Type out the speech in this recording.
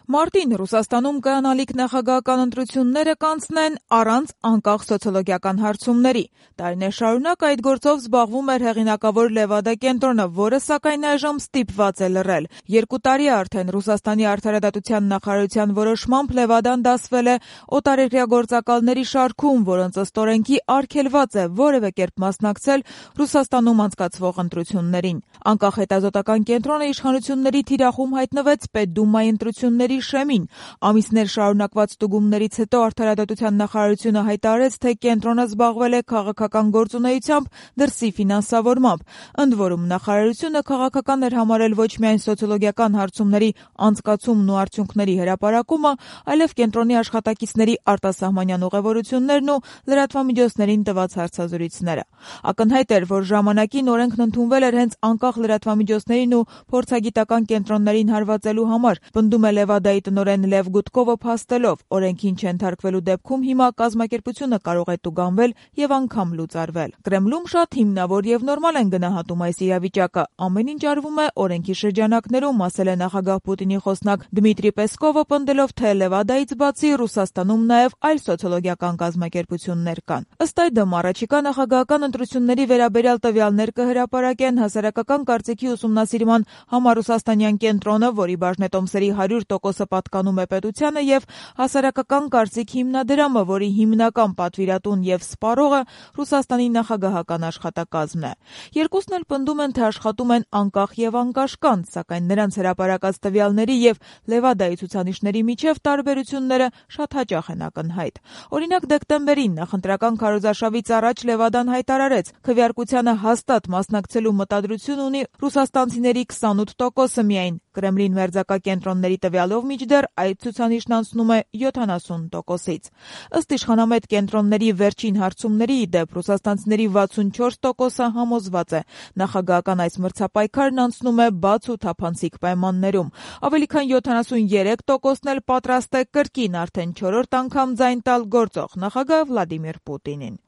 Մարտին Ռուսաստանում կայանալիք նախագահական ընտրությունները կանցնեն առանց անկախ սոցիոլոգիական հարցումների։ Տարիներ շարունակ այդ գործով զբաղվում էր հեղինակավոր Լևադա կենտրոնը, որը սակայն այժմ ստիպված է լռել։ 2 տարի արդեն Ռուսաստանի արդարադատության նախարարության որոշմամբ Լևադան դասվել է օտարերկրյա գործակալների շարքում, որոնց ըստ օրենքի արգելված է որևէ կերպ մասնակցել Ռուսաստանում անցկացվող ընտրություններին։ Անկախ հետազոտական կենտրոնը իշխանությունների թիրախում հայտնվեց Պետդումայի ընտրությունների շեմին։ Ամիսներ շարունակված ստուգումներից հետո արդարադատության նախարարությունը հայտարարեց, թե կենտրոնը զբաղվել է քաղաքական գործունեությամբ դրսի ֆինանսավորմամբ։ Ընդ որում նախարարությունը քաղաքական էր համարել ոչ միայն սոցիոլոգիական հարցումների անցկացումն ու արդյունքների հրապարակումը, այլև կենտրոնի աշխատակիցների արտասահմանյան ուղևորություններն ու լրատվամիջոցներին տված հարցազրույցները։ Ակնհայտ էր, որ ժամանակին օրենքն ընդունվել էր հենց անկախ լրատվամիջոցներին ու փորձագիտական կենտրոններին հարվածելու համար, պնդում է Լևադայի տնօրեն Լև Գուտկովը փաստելով, օրենքին չենթարկվելու դեպքում հիմա կազմակերպությունը կարող է տուգանվել եւ անգամ լուծարվել։ Կրեմլում շատ հիմնավոր եւ նորմալ են գնահատում այս իրավիճակը։ Ամեն ինչ արվում է օրենքի շրջանակներում, ասել է նախագահ Պուտինի խոսնակ Դմիտրի Պեսկովը, պնդելով, թե Լևադայից բացի Ռուսաստանում նաեւ այլ սոցիոլոգիական կազմակերպություններ կան։ Ըստ այդմ առաջիկա նախագահական ընտրությունների վերաբերյալ տվյալներ կհրապարակեն հասարակական կարծիքի ուսումնասիրման համառուսաստանյան կենտրոնը, որի բաժնետոմսերի 100%-ը պատկանում է պետությանը, եւ հասարակական կարծիք հիմնադրամը, որի հիմնական պատվիրատուն եւ սպառողը Ռուսաստանի նախագահական աշխատակազմն է։ Երկուսն էլ պնդում են, թե աշխատում են անկախ եւ անկաշկանդ, սակայն նրանց հրապարակած տվյալների եւ Լևադայի ցուցանիշների միջև տարբերությունները շատ հաճախ են ակնհայտ։ Օրինակ, դեկտեմբերին նախընտրական քարոզարշավից առաջ Լևադան հայտարարեց, քվեարկությանը հաստատ մասնակցելու մտադրություն ունի ռուսաստանցիների 28%-ը միայն։ Կրեմլին մերձակա կենտրոնների տվյալով մինչդեռ այդ ցուցանիշն անցնում է 70%-ից։ Ըստ իշխանամետ կենտրոնների վերջին հարցումների, ի դեպ, ռուսաստանցիների 64%-ը համոզված է, նախագահական այս մրցապայքարն անցնում է բաց ու թափանցիկ պայմաններում։ Ավելի քան 73%-ն էլ պատրաստ է կրկին արդեն 4-րդ անգամ ձայն տալ գործող նախագահ Վլադիմիր Պուտինին։